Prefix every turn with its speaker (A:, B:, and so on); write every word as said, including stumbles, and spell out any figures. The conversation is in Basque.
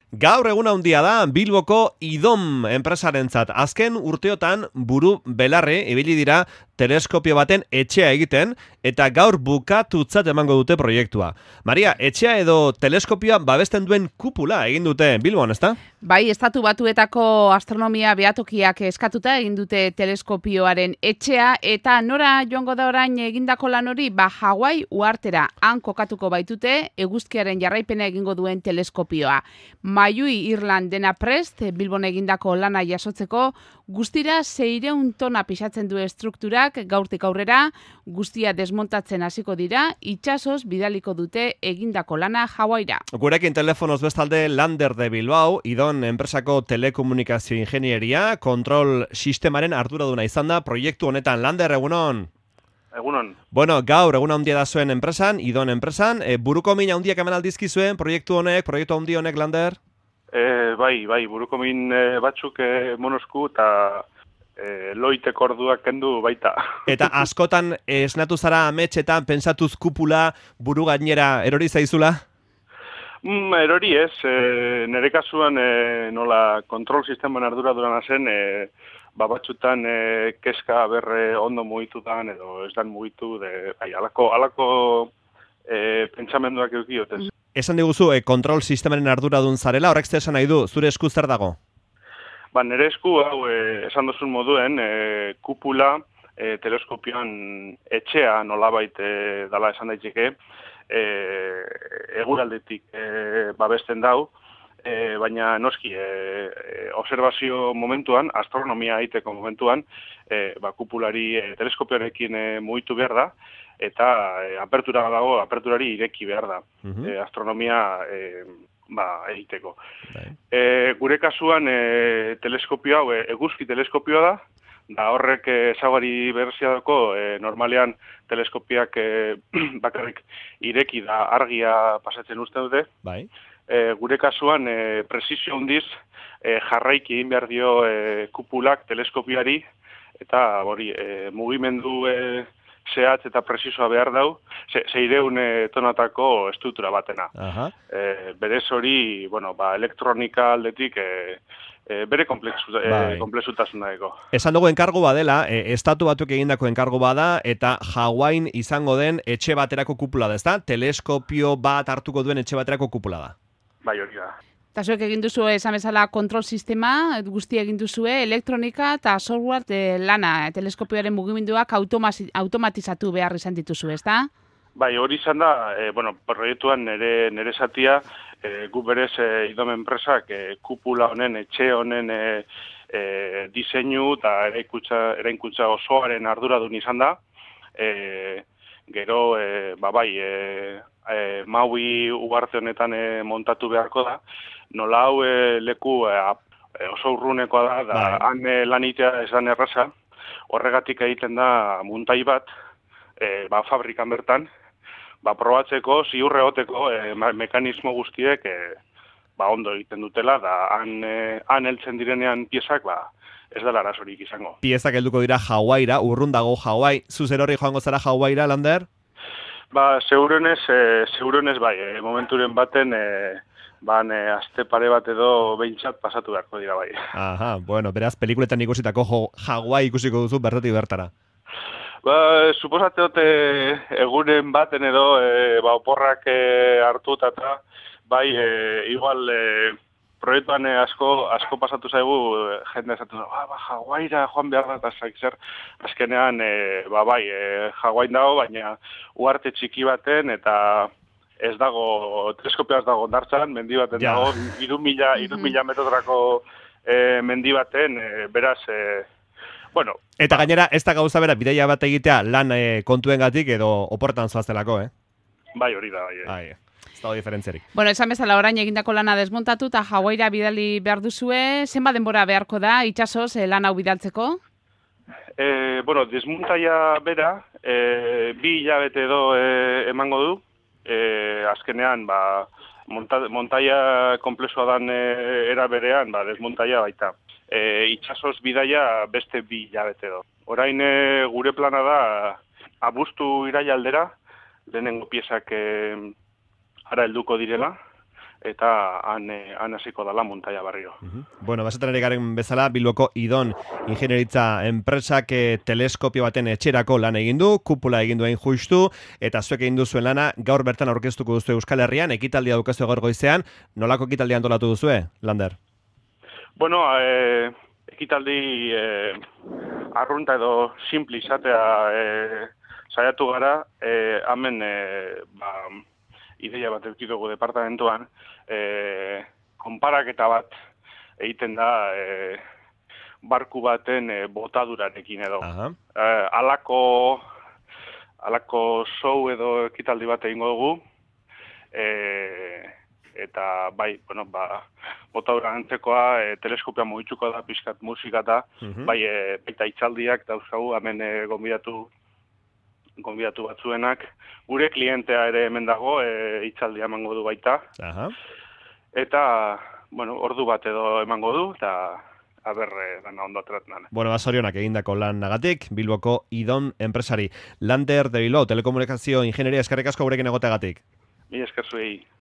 A: Gaur egun handia da Bilboko Idom enpresarentzat. Azken urteotan buru belarri ibili dira teleskopio baten etxea egiten eta gaur bukatutzat emango dute proiektua. Maria, etxea edo teleskopioa babesten duen kupula egin dute Bilbon, ezta?
B: Bai, estatu batuetako astronomia behatokiak eskatuta egin dute teleskopioaren etxea eta nora joango da orain egindako lan hori, ba Hawaii uhartera han kokatuko baitute eguzkiaren jarraipena egingo duen teleskopioa. Maiui Irland dena prest, Bilbon egindako lana jasotzeko, guztira seiehun tona pisatzen du estrukturak, gaurtik aurrera, guztia desmontatzen hasiko dira, itsasoz bidaliko dute egindako lana Hawaira.
A: Gurekin telefonoz bestalde Lander de Bilbao, Idon enpresako telekomunikazio ingenieria, kontrol sistemaren arduraduna izan da proiektu honetan. Lander, egunon?
C: Egunon.
A: Bueno, gaur egun handia da zuen enpresan, Idon enpresan, e, buruko min handiak eman aldizkizuen proiektu honek, proiektu handi honek, Lander?
C: E, bai, bai, buruko min e, batzuk e, monosku eta e, loiteko orduak kendu baita.
A: Eta askotan esnatu zara ametxetan, pentsatuz kupula buru gainera erori zaizula?
C: Mm, erori ez, e, nire kasuan e, nola kontrol sisteman arduradurana zen, e, ba batzutan e, keska berre ondo mugitutan edo ez dan mugitu, de, bai, alako, alako e, pentsamenduak eukiotez.
A: Esan diguzu, e, kontrol sistemaren arduradun zarela, horrek esan nahi du, zure esku zer dago?
C: Ba, nire esku, hau, e, esan duzun moduen, e, kupula e, teleskopioan etxea nolabait e, dala esan daiteke, e, eguraldetik e, babesten dau, e, baina noski, e, e, observazio momentuan, astronomia egiteko momentuan, e, ba, kupulari e, teleskopioarekin e, mugitu behar da, eta e, apertura dago, aperturari ireki behar da, uh-huh. e, astronomia e, ba, egiteko. E, gure kasuan e, teleskopio hau, e, eguzki teleskopioa da, da horrek ezagari berezia dako, e, normalean teleskopiak e, bakarrik ireki da argia pasatzen uste dute.
A: Bai.
C: E, gure kasuan e, presizio handiz e, jarraiki egin behar dio e, kupulak teleskopioari, eta hori e, mugimendu e, zehatz eta presizoa behar dau, seiehun e, tonatako estruktura batena.
A: Aha.
C: E, berez hori, bueno, ba, elektronika aldetik e, e, bere komplexu,
A: bai.
C: e, komplexutasuna dago.
A: Esan dugu enkargu badela, e, estatu batuk egindako enkargu bada, eta Hawaiin izango den etxe baterako kupula da, ezta? Teleskopio bat hartuko duen etxe baterako kupula da.
C: Bai, hori da.
B: Eta zuek egin duzu esan bezala kontrol sistema, guzti egin duzue, elektronika eta software de lana, teleskopioaren mugimenduak automatizatu behar izan dituzu, ezta?
C: Bai, hori izan da, e, bueno, proiektuan nire, nire zatia, e, gu berez e, Idom enpresak e, kupula honen, etxe honen e, e, diseinu eta eraikuntza osoaren arduradun izan da. E, gero, e, ba bai, e, e, Maui ugarte honetan e, montatu beharko da, nola hau e, leku e, oso urrunekoa da, da
A: bai.
C: Han e, lanitea ez da erraza, horregatik egiten da muntai bat, e, ba, fabrikan bertan, ba, probatzeko, ziurre hoteko e, mekanismo guztiek e, ba, ondo egiten dutela, da han, e, han heltzen direnean piezak, ba, ez dela arazorik izango.
A: Piezak helduko dira Hawaiira, urrun dago Hawaii, zuzer hori joango zara Hawaiira, Lander?
C: Ba, segurenez, e, segurenez bai, e, momenturen baten, e, ban, e, aste pare bat edo behintzat pasatu beharko dira bai.
A: Aha, bueno, beraz, pelikuletan ikusitako Hawaii ikusiko duzu bertatik bertara.
C: Ba, suposate dute egunen baten edo, e, ba, oporrak e, hartu eta bai, e, igual, e, proiektuan e, asko, asko pasatu zaigu, e, jende esatu da, ba, ba, Hawaiira joan behar da, eta zer, azkenean, e, ba, bai, e, Hawaiin dago, baina uarte txiki baten, eta ez dago, teleskopioa ez dago ondartzan, mendi baten
A: ja.
C: dago, iru mila, iru mila metrotrako e, mendi baten, e, beraz, e, bueno.
A: Eta
C: ba,
A: gainera, ez da gauza bera, bidaia bat egitea lan e, kontuengatik edo oportan zoaztelako, eh?
C: Bai, hori da, bai.
A: Ai, ez dago diferentziarik.
B: Bueno, esan bezala orain egindako lana desmontatu eta Hawaiira bidali behar duzue, zenbat denbora beharko da, itsasoz e, lan hau bidaltzeko?
C: E, bueno, desmontaia bera, e, bi hilabete edo e, emango du, e, azkenean, ba, monta, montaia komplexua dan e, era berean, ba, desmontaia baita. E, itsasoz bidaia beste bi hilabete edo. Orain e, gure plana da, abuztu iraila aldera, lehenengo piezak e, ara helduko direla, eta han, eh, han hasiko dala montaia barrio.
A: Uh-huh. Bueno, basetan ere garen bezala, Bilboko Idon ingenieritza enpresak eh, teleskopio baten etxerako lan egin du, kupula egin duen justu, eta zuek egin duzuen lana gaur bertan aurkeztuko duzu Euskal Herrian, ekitaldia daukazu gaur goizean, nolako ekitaldia antolatu duzue, Lander?
C: Bueno, eh, ekitaldi eh, arrunta edo simple izatea eh, saiatu gara, eh, hemen eh, ba, ideia bat eukitugu departamentuan, eh, konparaketa bat egiten da eh, barku baten eh, botadurarekin edo. Eh, alako, alako show edo ekitaldi bat egingo dugu, eh, eta bai, bueno, ba, botadura antzekoa, e, teleskopia mugitzuko da, pixkat musika da, uh-huh. bai, e, baita itzaldiak dauzkagu, hemen e, gonbidatu, gonbidatu batzuenak, gure klientea ere hemen dago, e, itzaldia emango du baita, uh-huh. eta, bueno, ordu bat edo emango du, eta aber, e, dana ondo ateratzen.
A: Bueno, basorionak egindako lan nagatik, Bilboko Idon enpresari. Lander de Bilbao, telekomunikazio ingenieria eskerrik asko gurekin egoteagatik.
C: Mi esker zuei.